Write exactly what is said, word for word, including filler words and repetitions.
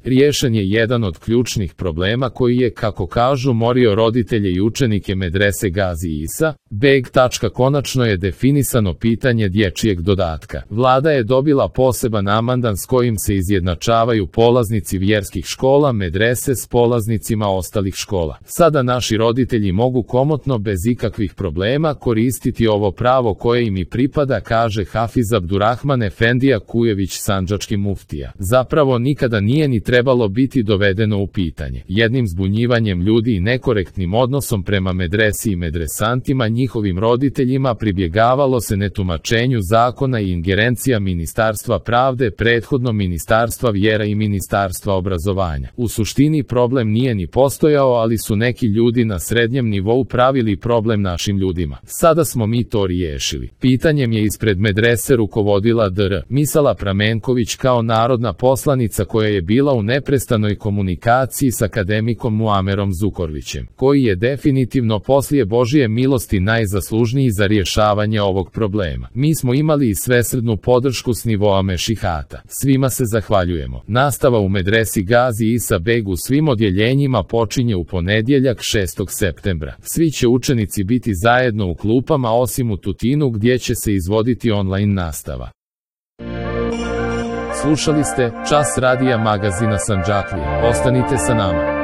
Riješen je jedan od ključnih problema koji je, kako kažu, morio roditelje i učenike medrese Gazi Isa beg. Konačno je definisano pitanje dječjeg dodatka. Vlada je dobila poseban amandman s kojim se izjednačavaju polaznici vjerskih škola medrese s polaznicima ostalih škola. Sada naši roditelji mogu komotno bez ikakvih problema koristiti ovo pravo koje im i pripada, kaže Hafiz Abdurrahman Efendija Kujević, sandžački muftija. Zapravo nikada nije ni trebalo biti dovedeno u pitanje. Jednim zbunjivanjem ljudi i nekorektnim odnosom prema medresi i medresantima, njihovim roditeljima, pribjegavalo se netumačenju zakona i ingerencija Ministarstva pravde, prethodno Ministarstva vjera i Ministarstva obrazovanja. U suštini problem nije ni postojao, ali su neki ljudi na srednjem nivou pravili problem našim ljudima. Sada smo mi to riješili. Pitanjem je ispred medrese rukovodila dr. Misala Pramenković kao narodna poslanica koja je bila u neprestanoj komunikaciji s akademikom Muamerom Zukorlićem, koji je definitivno poslije Božije milosti najzaslužniji za rješavanje ovog problema. Mi smo imali i svesrdnu podršku s nivoa mešihata. Svima se zahvaljujemo. Nastava u medresi Gazi Isa beg u svim odjeljenjima počinje u ponedjeljak šestog septembra. Svi će učenici biti zajedno u klupama osim u Tutinu gdje će se izvoditi online nastava. Slušali ste Čas radija magazina Sandžaklija. Ostanite sa nama.